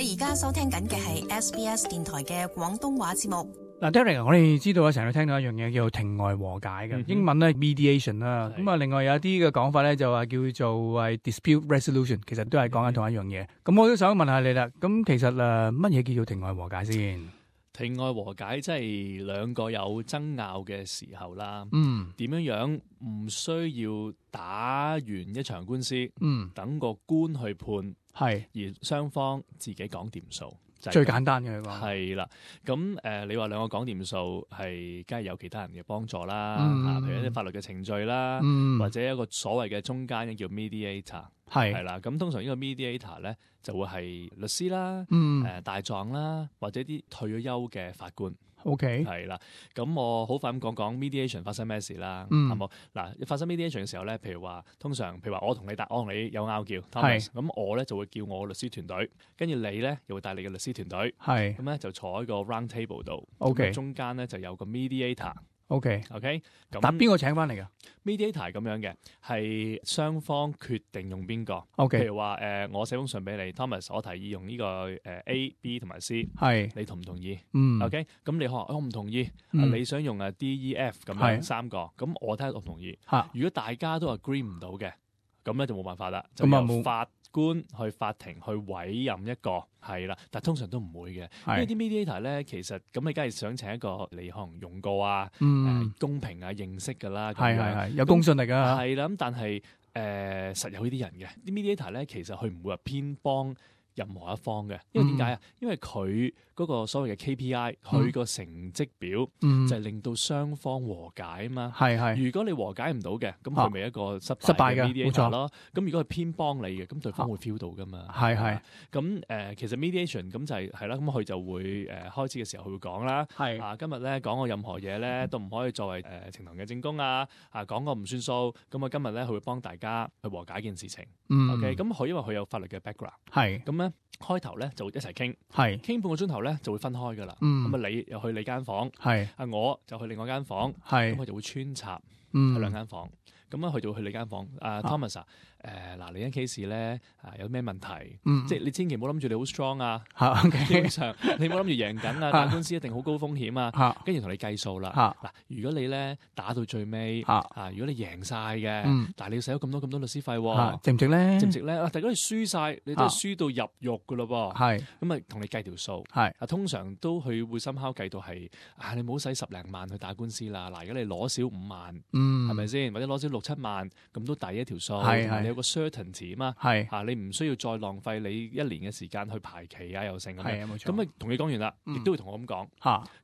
你而家收聽緊嘅係 SBS 電台嘅廣東話節目。嗱 Derek， 我哋知道啊，成日都聽到一樣嘢叫做庭外和解嘅，英文咧 mediation 啦。咁啊，另外有一啲嘅講法咧就話叫做係 dispute resolution， 其實都係講緊同一樣嘢。咁我都想問下你啦，咁其實乜嘢叫做庭外和解先？庭外和解即係兩個有爭拗嘅時候啦。點樣唔需要打完一場官司，等個官去判，係而雙方自己講掂數。最簡單嘅講係啦，咁你話兩個講掂數係，梗係有其他人嘅幫助啦，譬如一啲法律嘅程序啦，或者一個所謂嘅中間嘅叫 mediator， 係啦，咁通常呢個 mediator 咧就會係律師啦，大狀啦，或者啲退咗休嘅法官。OK， 係啦，咁我好快咁講 mediation 發生咩事啦，係冇？嗱，發生 mediation 嘅時候咧，譬如話我同你有拗撬 Thomas， 咁我咧就會叫我律師團隊，跟住你咧又會帶你嘅律師團隊，係咁咧就坐喺個 round table 度，OK，中間咧就有個 mediator。OK， 咁但邊個請翻嚟㗎 ？mediator 咁樣嘅，係雙方決定用邊個。譬如話我寫封信俾你 ，Thomas， 我提議用呢個A、B 同埋 C， 係你同唔同意？OK， 咁你可能我唔同意，你想用D、E、F 咁樣三個，咁我睇下我同意。如果大家都 agree 唔到嘅，咁咧就冇辦法啦，就由法官去法庭去委任一個係啦，但通常都唔會嘅，因為啲 mediator 咧其實咁你梗係想請一個你可能用過啊，公平啊認識㗎啦，係有公信力㗎，係啦，咁但係實有呢啲人嘅，啲 mediator 咧其實佢唔會話偏幫任何一方嘅，因為點解啊？因為佢嗰個所謂嘅 KPI， 佢個成績表就係令到雙方和解啊嘛。係如果你和解唔到嘅，咁佢咪一個失敗嘅 mediator 咯。咁如果佢偏幫你嘅，咁對方會 feel 到噶嘛。係咁其實 mediation 咁就係啦，咁佢就會開始嘅時候佢會講啦。今日咧講過任何嘢咧都唔可以作為呈堂嘅證供啊。講過唔算數。咁啊今日咧佢會幫大家去和解件事情。OK， 咁佢因為佢有法律嘅 background。咁咧。開頭咧就會一齊傾，傾半個鐘頭咧就會分開噶啦。咁啊你又去你間房，我就去另外間房，咁佢就會穿插喺兩間房。咁啊去到去你間房，Thomas 嗱你間 case 咧有咩問題？即係你千祈唔好諗住你好 strong 啊，基本上你唔好諗住贏緊啊，打官司一定好高風險啊，跟住同你計數啦。嗱，如果你咧打到最尾，如果你贏晒嘅，但係你要使咗咁多律師費，值唔值咧？值唔值咧？但係如果你輸晒，你都係輸到入獄噶咯噃。咁啊同你計條數。通常都佢會深刻計到係你唔好使10零萬去打官司啦。嗱，如果你攞少5萬，係咪先？或者攞少6-7萬，咁都抵一條數。你有個 certainty 啊嘛，你唔需要再浪費你1年嘅時間去排期啊，又成咁樣。咁啊同你講完啦，亦都會同我咁講。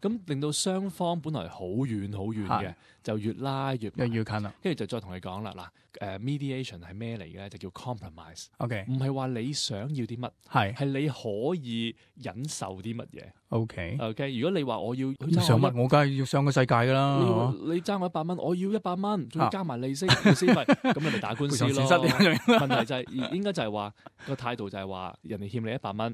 咁令到雙方本來好遠嘅，就越拉越近啦。跟住就再同你講啦，嗱mediation 係咩嚟嘅？就叫 compromise。唔係話你想要啲乜，係你可以忍受啲乜嘢。OK， 如果你話我要上乜，我梗係要上個世界噶啦。你爭我100蚊，我要100蚊，仲要加埋利息費，咁你咪打官司咯。問題就係應該就係話個態度就係話人哋欠你100蚊，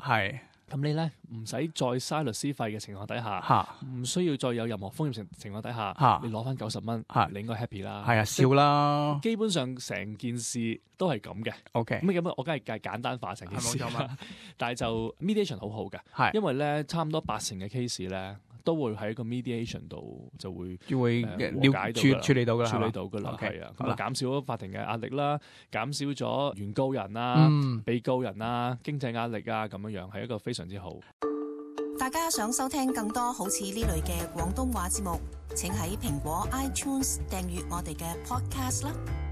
咁你咧唔使再嘥律師費嘅情況底下，唔需要再有任何風險情況底下，你攞翻90蚊，你應該 happy 啦。係啊，笑啦。基本上成件事都係咁嘅。咁我梗係簡單化成件事啦。但係就 mediation 好好嘅，因為咧差唔多80%嘅 case 咧都會喺個 mediation 度就會處理到噶啦。係啊，咁啊減少咗法庭嘅壓力啦，減少咗原告人啊、被告人啊、經濟壓力啊咁樣，係一個非常之好。大家想收聽更多好似呢類嘅廣東話節目，請喺蘋果 iTunes 訂閱我哋嘅 podcast 啦。